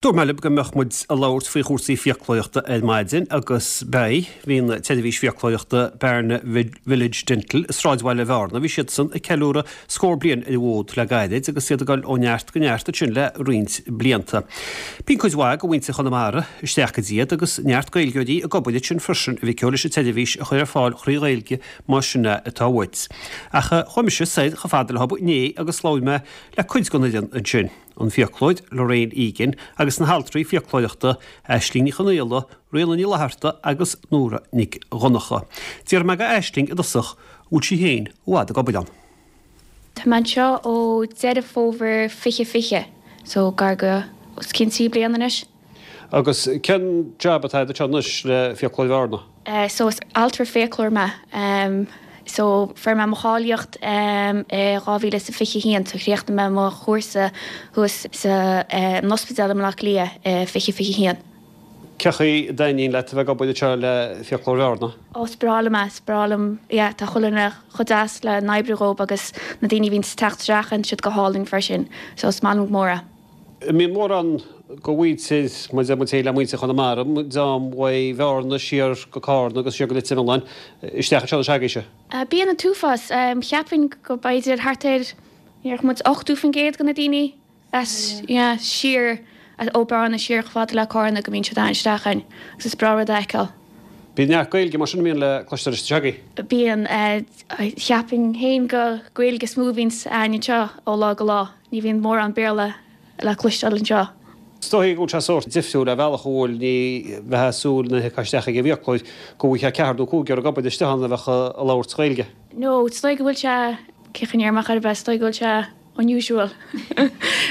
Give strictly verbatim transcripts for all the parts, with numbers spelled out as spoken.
Dúirt mé libh go mbeadh muid ag labhairt faoi chúrsaí fiaclóireachta ar maidin agus beidh. Bhí an tseirbhís fiaclóireachta Bearna Village Dental i sráidbhaile Bhearna, bhí siadsan ag ceiliúradh scór bliain ar an bhfód le gairid agus iad ag dul ó neart go neart ansin le roinnt blianta. Bíonn cuid mhaith de mhuintir Chonamara isteach go dtí iad agus neart Gaeilgeoirí ag obair ansin freisin a mhic leis an tseirbhís a chur ar fáil thrí Ghaeilge más sin é atá uait. Ach chuaigh mise soir chomh fada leo inné agus labhair mé le cuid den fhoireann ansin. an fiaclóir Lorraine Egan agus na haltraí fiaclóireachta Aisling Ní Chonaola, Ríona Ní Fhlatharta agus Nóra Nic Dhonnacha. D'iarr mé de Aisling i dtosach an bhfuil sí féin i bhfad ag obair ann. Tá mé anseo ó Deireadh Fómhair fiche fiche, so gar go os cionn trí bliana anois. Agus cén jab atá agat anseo anois le Fiaclóir Bhearna? So is altra fiaclóir mé. So fuair mé mo cháilíocht i dhá mhíle is a fiche a haon, so chríochnaigh mé mo chúrsa thuas sa an ospidéal i mBaile Átha Cliath i fiche fiche a haon. Cén chaoi a dtaitníonn leat a bheith ag obair anseo le Fiaclóir Bhearna? Ó is breá liom é, is breá liom, yeah, tá chuile dhuine chomh deas le n-oibriú dhób agus na daoine a bhíonn ag teacht isteach tá siad go hálainn freisin, so is maith liom go mór é. An mbíonn mórán de mhuintir, mar a deir muid féin le muintir Chonamara, dream uaidh Bhearna siar go Carna agus siar go Leitir Mealláin, isteach anseo anois agaibhse? Bíonn an t-uafás. Cheapfainn go b'fhéidir thart ar, déarfadh muid ochtó faoin gcéad de na daoine as, yeah, siar ó Bearna siar chomh fada le Carna go mbíonn siad ann isteach againn agus is breá rud a fheiceáil. Bíonn neart Gaeilge mar sin a mbíonn le cloisteáil isteach agaibh? Bíonn. Cheapfainn féin gur Gaeilge is mó a bhíonns againn anseo ó lá go lá. Ní bhíonn mórán Béarla le cloisteáil anseo. Is dóigh go bhfuil sé sórt difriúil ar bhealach a bhfuil, ní bheifeá ag súil nuair a thiocfá isteach ag an bhfiaclóir go bhfaighfeá ceathrar nó cúigear ag obair istigh ann a bheadh ag labhairt Gaeilge. No, is dóigh go bhfuil sé, cén chaoi a ndéarfainn ar bith, is dóigh go bhfuil sé unusual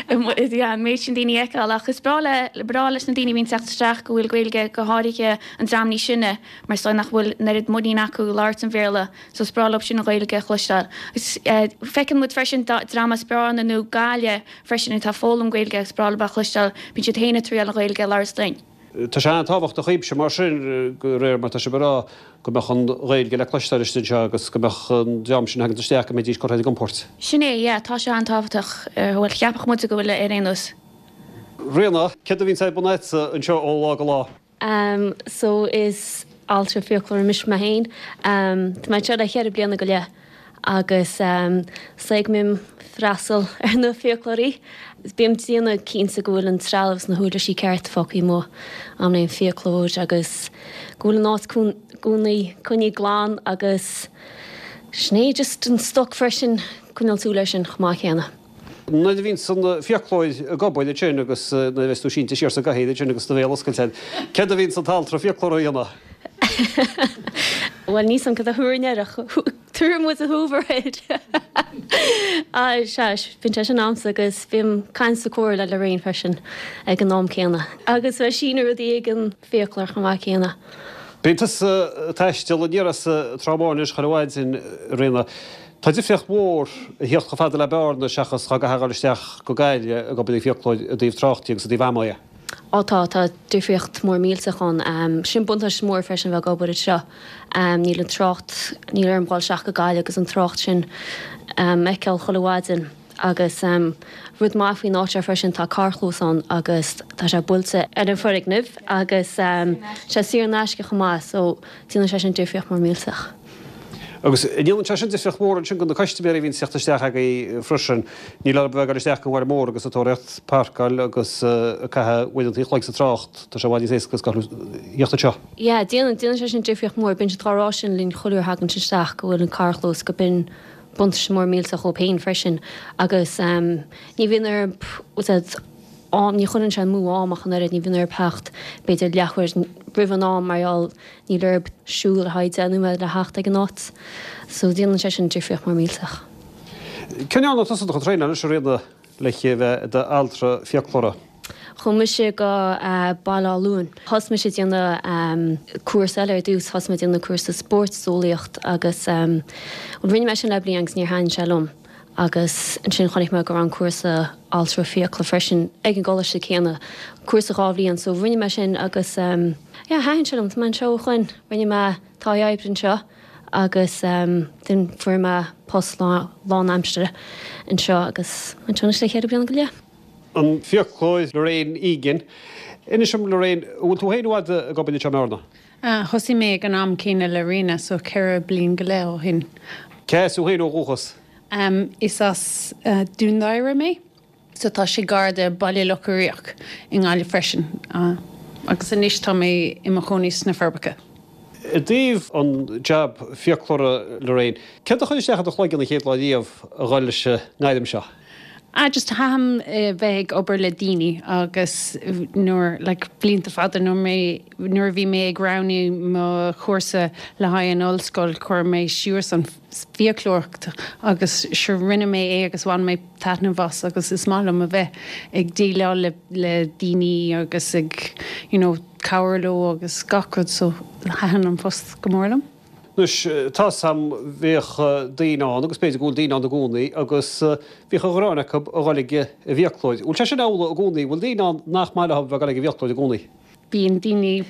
yeah an méid sin daoine a fheiceáil ach is breá le, breá leis na daoine a bhíonn ag teacht isteach go bhfuil Gaeilge go háirithe an dream níos sine mar is dóigh nach bhfuil an oiread muinín acu labhairt an Bhéarla so is breá leo sin an Ghaeilge a chloisteáil. Agus feiceann muid freisin dream as Bearna nó Gaillimh freisin atá ag foghlaim Gaeilge agus is breá leo a chloisteáil, bíonn siad féin ag triail an Ghaeilge a labhairt linn. Tá sé an-tábhachtach dhaoibhse mar sin, de réir mar atá sibh ag rá, go mbeadh an Ghaeilge le cloisteáil istigh anseo agus go mbeadh an dream sin a thagann isteach, go mbeidís curtha ar a gcompord. Sin é, yeah, tá sé an-tábhachtach, bhuel, cheapfadh muide go bhfuil ar aon nós. Ríona, céard a bhíonns ar bun agatsa anseo ó lá go lá? Um so is altra fiaclóir mise mé féin. Um tá mé anseo le cheithre bliana go leith agus um is dóigh go mbím freastal ar na fiaclóirí. Bím ag déanamh cinnte go bhfuil an trealamh is na huirlisí ceart fágtha amuigh am an fiaclóir agus go bhfuil an áit i gcónaí coinnithe glan agus sin é just an stoc freisin coinneáil súil air sin chomh maith céanna. Nuair a bhíonns an fiaclóir ag obair ansin agus nuair a bheas tú sínte siar sa gcathaoir ansin agus do bhéal oscailte agat, céard a bhíonns an t-altra fiaclóra a dhéanamh? Bhuel, níl 's a'm cad a thabharfainn air ach tabharfaidh muid an hoover air. Sea, bíonn sé sin a'msa agus bím ag caint is ag comhrá le Lorraine freisin ag an am céanna. Agus ag síniú rudaí ag an bhfiaclóir chomh maith céanna. Bíonn tusa ag taisteal aniar as Trá Bháin anois chuile mhaidin, a Ríona. Tá difríocht mhór a thíocht chomh fada le Bearna seachas dhá gcaithfeá a dhul isteach go Gaillimh ag obair ag fiaclóir i dtaobh tráchta agus i dtaobh ama dhe. Á tá, tá difríocht mór millteach ann. Sin buntáiste mór freisin a bheith ag obair anseo. Níl an trácht, níl orm dhul isteach go Gaillimh agus an trácht sin a fheiceáil chuile mhaidin. Agus rud maith faoin áit seo freisin, tá carrchlós ann agus tá sé buailte ar an foirgneamh agus sé saor in aisce chomh maith so déanann sé sin difríocht mór millteach. Agus an ndéanann sé sin difríocht mhór ansin do na custaiméirí a bhíonn ag teacht isteach agaibh freisin. Níl orthu a bheith ag dul isteach go an bhaile mór agus ag tóraíocht páirceáil agus ag caitheamh uaireanta an chloig sa trácht, tá sé i bhfad níos éasca is theacht anseo. Yeah, déanann, déanann sé sin difríocht mhór. Bíonn siad á rá sin linn chuile uair a thagann siad isteach go bhfuil an carrchlós go b'in buntáiste mór millteach dhóibh féin freisin agus ní bhíonn orthu am, ní chuireann sé amú am ach an oiread, ní bhíonn orthu theacht b'fhéidir leathuair roimh an am mar gheall níl orthu siúl ar feadh deich nóiméad le theacht ag an áit. So déanann sé sin difríocht mór millteach. Cá ndearna tusa do chuid traenála anois a Ríona le bheith i d'altra fiaclóra? Chuaigh mise go Baile Átha Luain. Thosaigh mise ag déanamh cúrsa eile ar dtús, thosaigh mé ag déanamh cúrsa spórteolaíocht agus bhuel rinne mé sin le bliain agus níor thaitin sé liom agus ansin chonaic mé go raibh an cúrsa altra fiacla freisin ag an gcoláiste céanna, cúrsa dhá bhliain so rinne mé sin agus yeah thaitin sé liom, tá mé anseo ó shoin, rinne mé taithí oibre anseo agus then fuair mé post lán aimsire anseo agus anseo anois le ceithre bliana go leith. An fiaclóir Lorraine Egan. Inis dom Lorraine, bhfuil tú féin i bhfad ag obair anseo i mBearna? Thosaigh mé ag an am céanna le Ríona, so ceithre bliain go leith ó shin. Cé as thú féin ó dhúchas? Is as Dún Doighre mé, so tá sé gar do Baile Locha Riach i nGaillimh freisin. Agus anois tá mé i mo chónaí sna Forbacha. I dtaobh an jab fiaclóra Lorraine, céard a chuir isteach i do chloigeann an chéad lá riamh a dhul leis an ngairm seo? Ah just thaitin bheith ag obair le daoine agus nuair like blianta fada nuair mé nuair a bhí mé ag roghnú mo chúrsa le haghaidh an ollscoil chuir mé suas an fiaclóireacht agus sure rinne mé é agus bhain mé taitneamh as agus is maith liom a bheith ag déileáil le le daoine agus ag you know cabhair leo agus gach rud so thaitin an post go mór liom. Anois tá 's a'm bhíodh daoine ann agus b'fhéidir go bhfuil daoine ann i gcónaí agus bhíodh an ghráin acu a dhul ag an bhfiaclóir. Bhfuil sé sin amhlaidh i gcónaí? Bhfuil daoine ann nach maith leo a bheith ag dul ag an bhfiaclóir i gcónaí? Bíonn daoine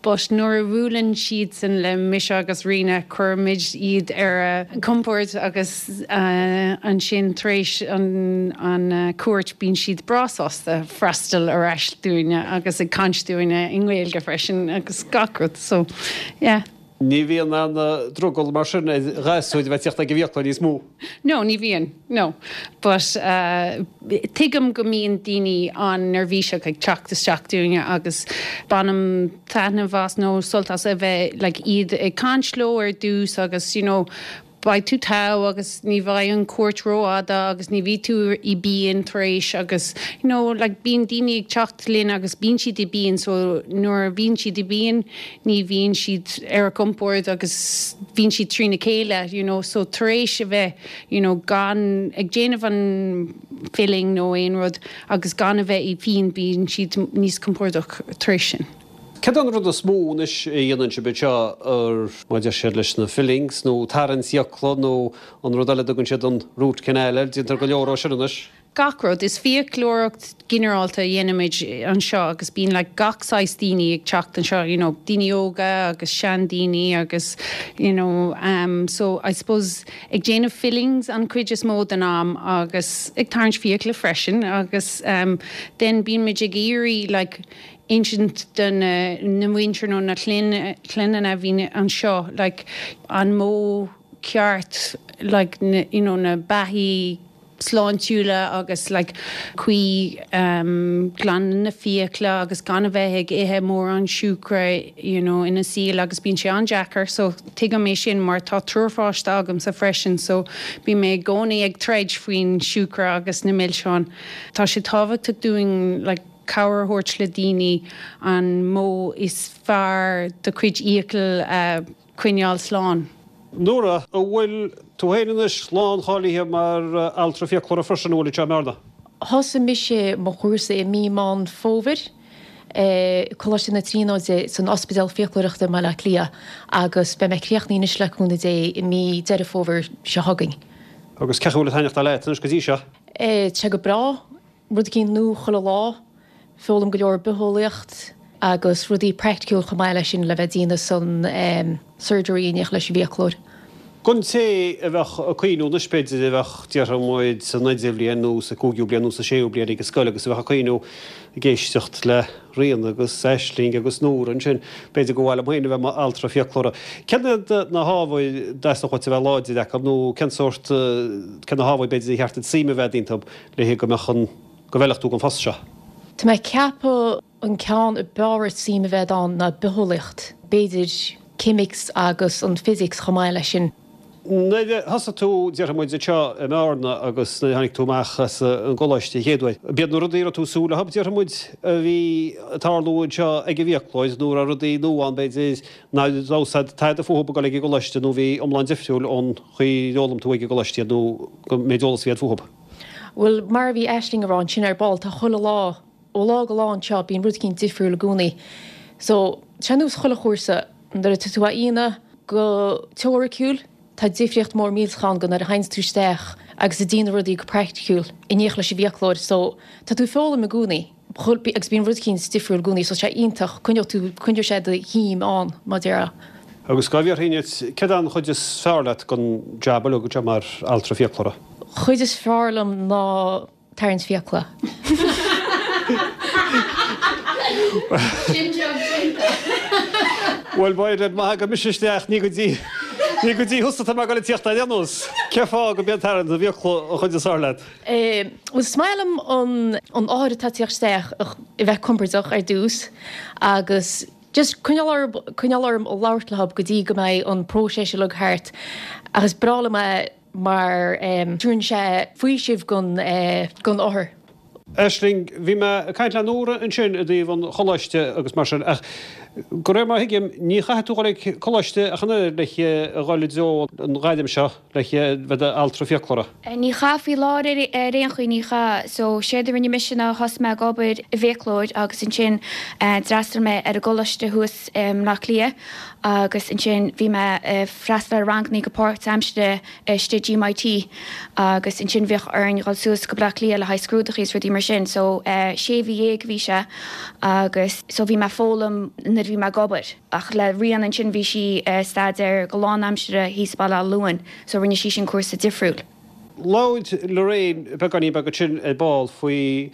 but nuair a bhuaileann siadsan le mise agus Ríona cuirimid iad ar a gcompord agus ansin tar éis an an cuairt bíonn siad breá sásta freastal ar ais dúinne agus ag caint dúinne i nGaeilge freisin agus gach rud so yeah. Ní bhíonn aon drogall mar sin ar ghasúir a bheith ag teacht ag an bhfiaclóir níos mó? No, ní bhíonn, no. But uh, tuigim go mbíonn daoine an-neirbhíseach ag teacht isteach dúinne agus bainim taitneamh as nó sult as a bheith like, iad ag caint leo ar dtús agus you know, beidh tú togha agus ní bheidh an cuairt rófhada agus ní bheidh tú i bpian tar éis agus you know, like, bíonn daoine ag teacht linn agus bíonn siad i bpian so nuair a bhíonn siad i bpian ní bhíonn siad ar a gcompord agus bíonn siad trína chéile you know, so tar éis a bheith you know, gan ag déanamh an filling nó aon rud agus gan a bheith i bpian bíonn siad níos compordach tar éis sin. Cad an rud is mó anois a dhéanann sibh anseo ar má deir siad leis na fillings nó tarraingt fiacla nó an rud eile tugann siad an root canal air, déantar go leor ó sin anois? Gach rud is fiaclóireacht ginearálta a dhéanaimid anseo agus bíonn like, gach saghas daoine ag teacht anseo, you know, daoine óga agus seandaoine agus you know, um, so I suppose ag déanamh fillings an chuid is mó den am agus ag tarraingt fiacla freisin agus um, then bíonn ag iarraidh like, insint do na na muintir nó na clainne a bhíonn anseo like, an modh ceart like, na, you know, na beathaí sláintiúla agus like, cuí um, glan na fiacla agus gan a bheith ag ithe mórán siúcra you know, ina saol agus bíonn sé an-deacair, so tuigim é sin mar tá triúr páiste agamsa freisin, so bím i gcónaí ag troid faoin siúcra agus na milseáin. Tá sé tábhachtach dúinn like, cabhair a thabhairt le daoine an modh is fearr do chuid fhiacail uh, coinneáil slán. Nóra, an bhfuil tú féin anois láncháilithe mar altra fiaclóra freisin bhfuil anseo i mBearna? Thosaigh mise mo chúrsa i mí Meán Fómhair, Coláiste na Tríonóide san Ospidéal Fiaclóireachta i mBaile Átha Cliath agus beidh mé críochnaithe anois le cúnamh Dé i mí Deireadh Fómhair seo chugainn. Agus cén chaoi a bhfuil ag taitneachtáil leat anois go dtí seo? Tá sé go breá, rud éicint nua chuile lá, foghlaim go leor bitheolaíocht agus rudaí praiticiúil chomh maith leis sin le bheith ag déanamh san surgery in éineacht leis an bhfiaclóir. Don té a bheadh ag cuimhniú anois b'fhéidir a bheadh déarfaidh muid san idirbhliain nó sa cúigiú bliain nó sa séú bliain ag an scoil agus a bheadh ag cuimhniú ag éisteacht le Ríona agus Aisling agus Nóra ansin, b'fhéidir gur mhaith liom féin a bheith mar altra fiaclóra. Cén iad na hábhair a dteastódh uait a bheith láidir acu nó cén sórt, cén na hábhair b'fhéidir a cheart duit suim a bheith iontu le go mbeadh an, go bhfeilfeadh tú don phost seo? Tá mé ag ceapadh an ceann ab fhearr suim a bheith ann ná bitheolaíocht, b'fhéidir ceimic agus an physics chomh maith leis sin. Nuair a thosaigh tú, déarfaidh muid, anseo i mBearna agus nuair a tháinig tú amach as an gcoláiste an chéad uair, b'iad na rudaí a raibh tú ag súil leo, déarfaidh muid, a bhí ag tarlú anseo ag an bhfiaclóir nó raibh rudaí nua ann, b'fhéidir, nach raibh fhios agat tada fúthu ag dul ag an gcoláiste nó bhí iomlán difriúil ón chaoi ar fhoghlaim tú ag an gcoláiste iad nó an méid eolas a bhí agat fúthu. Bhuel, mar a bhí Aisling ag rá ansin ar ball, tá chuile lá, ó lá go lá anseo, bíonn rud éicint difriúil i gcónaí. So, tá sé ar nós chuile chúrsa, nuair atá tú á dhéanamh go teoiriciúil, tá difríocht mór millteach ann go nuair a théanns tú isteach agus ag déanamh rudaí go praiticiúil in éineacht leis an bhfiaclóir. So, tá tú ag foghlaim i gcónaí agus bíonn rud éicint difriúil i gcónaí so tá sé iontach, coinneoidh tú, coinneoidh sé do shuim ann, mar a déarfá. Agus dhá bhfiafraínn díot, céard é an chuid is fearr leat den jab uilig anseo mar altra fiaclóra? Chuid is fearr liom ná tarraingt fiacla. Sin job déanta. Bhuel b'fhéidir má thagann mise isteach ní go dtí ní go dtí thusa atá mé ag dul ag tíocht ar aon nós. Cén fáth go mbíonn tarraingt na bhfiacla an chuid is fearr leat? Bhuel is maith liom an an othar atá ag tíocht isteach a bheith compordach ar dtús agus just coinneáil orm coinneáil orm a labhairt leo go dtí go mbeidh an próiseas uilig thart agus breá liom é mar tugann sé faoiseamh gon gon othar. Aisling, bhí mé ag caint le Nóra ansin i dtaobh an choláiste agus mar sin ach de réir mar a thuigim ní chaithfidh tú dhul ag coláiste ach an oiread le a dhul i dtreo an ghairm seo le bheith i d'altra fiaclóra. Ní chaith faoi láthair ar aon chaoi ní chaith. So séard a rinne mise ná thosaigh mé ag obair i bhfiaclóir agus ansin d'fhreastail mé ar an gcoláiste thuas i mBleá Cliath agus ansin bhí mé ag freastal ar rangannaí go páirtaimseartha istigh GMIT agus ansin bhíodh orainn dhul suas go Bleá Cliath le haghaidh scrúdachaí is rudaí mar sin so sé mhí dhéag a bhí sé agus so bhí mé ag foghlaim nuair a bhí mé ag obair ach le Ríona ansin bhí sí ag staidéar go lánaimseartha thíos Baile Átha Luain so rinne sí sin cúrsa difriúil. Labhair Lorraine beagáinín beag ansin ar ball faoi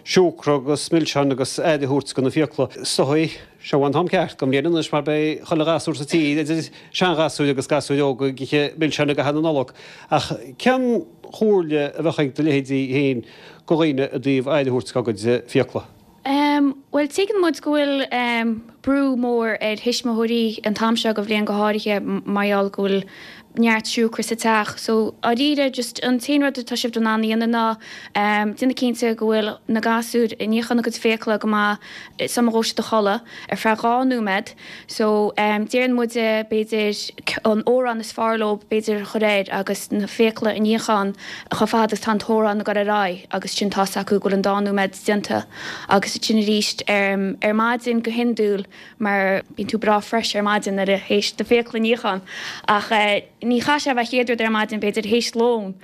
siúcra agus milseáin agus aire a thabhairt do na fiacla. Is dóigh, seo an t-am ceart don bhliain anois mar beidh chuile ghasúr sa tír, idir seanghasúir agus gasúir óga, ag ithe milseáin i gcaitheamh na Nollag. Ach cén chomhairle a bheadh ag do leithéidí féin do dhaoine i dtaobh aire a thabhairt dá gcuid fiacla? Bhuel, tuigeann muid go bhfuil brú mór ar thuismitheoirí an t-am seo de bhliain go háirithe mar gheall go bhfuil neart siúcra sa teach. So, dáiríre, just an t-aon rud atá sibh in ann a dhéanamh ná déanamh cinnte go bhfuil na gasúir ag níochán a gcuid fiacla go maith sula ngabhfaidh siad a chodladh ar feadh dhá nóiméad. So, deireann muide b'fhéidir an t-amhrán is fearr leo b'fhéidir a chur air agus na fiacla a níochán chomh fada is atá an t-amhrán ag dul ar aghaidh agus sin tá's acu go bhfuil an dá nóiméad déanta. Agus ansin arís ar maidin go hiondúil mar bíonn tú breá fresh ar maidin nuair a théis do fiacla a níochán ach ní chaithfidh sé a bheith chéad rud ar maidin b'fhéidir théis lón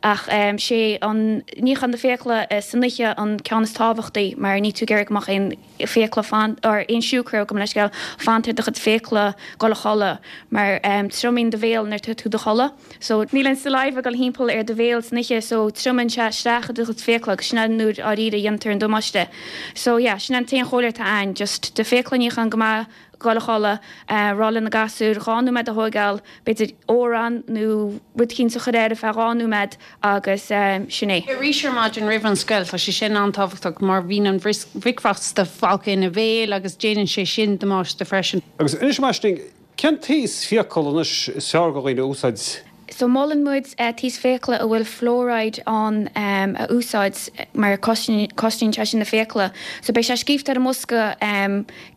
ach sé an níochán na fiacla san oíche an ceann is tábhachtaí mar níl tú ag iarraidh go mbeadh aon fiacla fan or aon siúcra gabh mo leithscéal fanta ar do chuid fiacla dul a chodladh mar triomaíonn do bhéal nuair atá tú do chodladh so níl an saliva ag dul thimpeall ar do bhéal san oíche so triomaíonn sé isteach i do chuid fiacla agus sin an nuair dáiríre a dhéantar an damáiste so yeah sin an t-aon chomhairle atá ann just do fiacla a níochán go maith dul a chodladh, rá le na gasúir dhá nóiméad a thóigeáil, b'fhéidir amhrán nó rud eicínt a chur air ar feadh dhá nóiméad agus sin é. Arís ar maidin roimh an scoil, tá sé sin an-tábhachtach mar bhíonn an bhricfeasta fágtha ina bhéal agus déanann sé sin damáiste freisin. Agus anois a Aisling, cén taos fiacal anois is fearr do dhaoine a úsáid? So molann muid taos fiacla a bhfuil fluoride ann a úsáid mar cosnaíonn sé sin na fiacla. So beidh sé scríofa ar an mbosca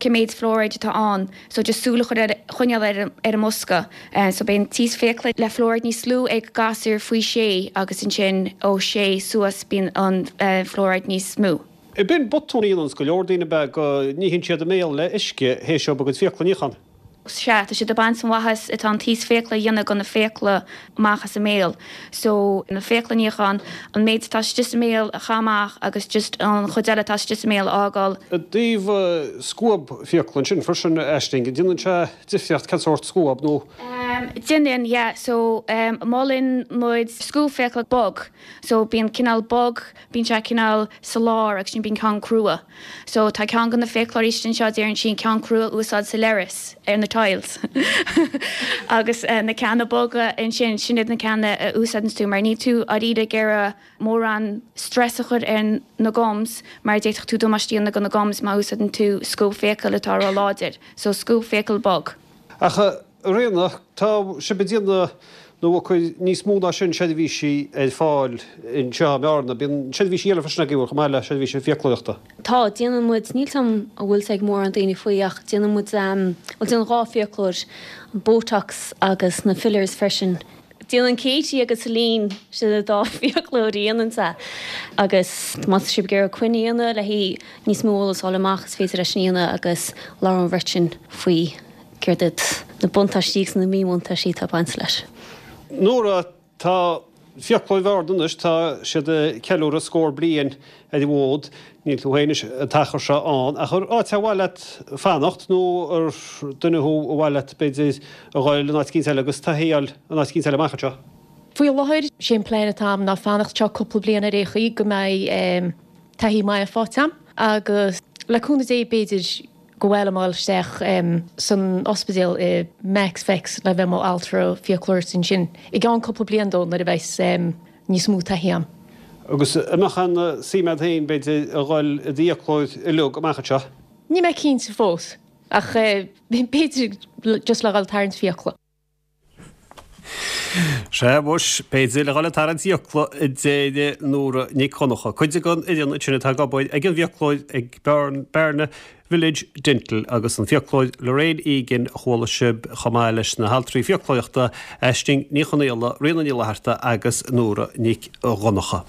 cé méid fluoride atá ann. So just súil a chur ar choinneáil ar ar an mbosca. So beidh an taos fiacla le fluoride níos lú ag gasúir faoi sé agus ansin ó sé suas bíonn an fluoride níos mó. Bíonn botún a dhéananns go leor daoine ab ea go níonn siad a mbéal le uisce théis dóibh a gcuid fiacla a níochán. Sea, tá siad ag baint an mhaitheas atá an taos fiacla a dhéanamh do na fiacla amach as a mbéal. So, na fiacla a níochán, an méid atá istigh sa mbéal a chaitheamh amach agus just an chuid eile atá istigh sa mbéal a fhágáil. I dtaobh scuab fiacla ansin freisin, Aisling, an déanann sé difríocht cén sórt scuab nó? Déanann, yeah. So, molann muid scuab fiacla bog. So, bíonn cineál bog, bíonn sé cineál sa lár agus sin bíonn ceann crua. So tá ceann de na fiaclóirí istigh anseo deireann sí an ceann crua a úsáid sa leithreas ar na tiles agus na ceanna boga ansin sin iad na ceanna a úsáideann tú mar níl tú dáiríre ag iarraidh mórán stress a chur ar na gums mar d'fhéadfadh tú damáiste a dhéanamh do na gums má úsáideann tú scuab fiacal atá ró-láidir. So scuab fiacal bog. Ach a Ríona, tá sibh ag déanamh nó ag cur níos mó ná sin seirbhísí ar fáil anseo i mBearna. Bíonn seirbhísí eile freisin agaibh chomh maith le seirbhísí fiaclóireachta. Tá, déanann muid, níl 's a'm an bhfuil 's ag mórán daoine faoi ach déanann muid, bhuel déanann dhá fiaclóir, an Botox agus na fillers freisin. Déanann Katie agus Celine, sin an dá fiaclóir a dhéanann é agus má tá sibh ag iarraidh coinne a dhéanamh le haghaidh níos mó eolas a fháil amach is féidir é sin a dhéanamh agus labhrann an bheirt sin faoi céard iad na buntáistí agus na míbhuntáistí atá ag baint leis. Nóra, tá Fiaclóir Bhearna anois, tá siad ag ceiliúradh scór bliain ar an bhfód, níl tú féin anois an t-achar seo ann, ach ar áit ar mhaith leat fanacht nó ar duine thú ar mhaith leat b'fhéidir a dhul in áit eicínt eile agus taithí a fháil in áit eicínt eile amach anseo? Faoi láthair, sé an plean atá agam ná fanacht anseo cúpla bliain ar aon chaoi go mbeidh taithí maith faighte agam agus Le cúnamh Dé b'fhéidir go bhfuil mé isteach san ospidéal i Max Specs le bheith mo altra fiaclóireachta ansin i gceann cúpla bliain dó nuair a bheas níos mó taithí agam. Agus an mbeadh aon suim agat féin b'fhéidir a dhul i d'fhiaclóir uilig amach anseo? Níl mé cinnte fós, ach b'fhéidir just le dhul tarraingt fiacla. Sea, mhuis, b'fhéidir le dhul ag tarraingt fiacla, a deir Nóra Nic Dhonncha. Cuid den fhoireann ansin atá ag obair ag an bhfiaclóir ag Bearna Village Dental agus an fiaclóir Lorraine Egan a chuala sibh chomh maith leis na haltraí fiaclóireachta Aisling Ní Chonaola, Ríona Ní Fhlatharta agus Nóra Nic Dhonncha.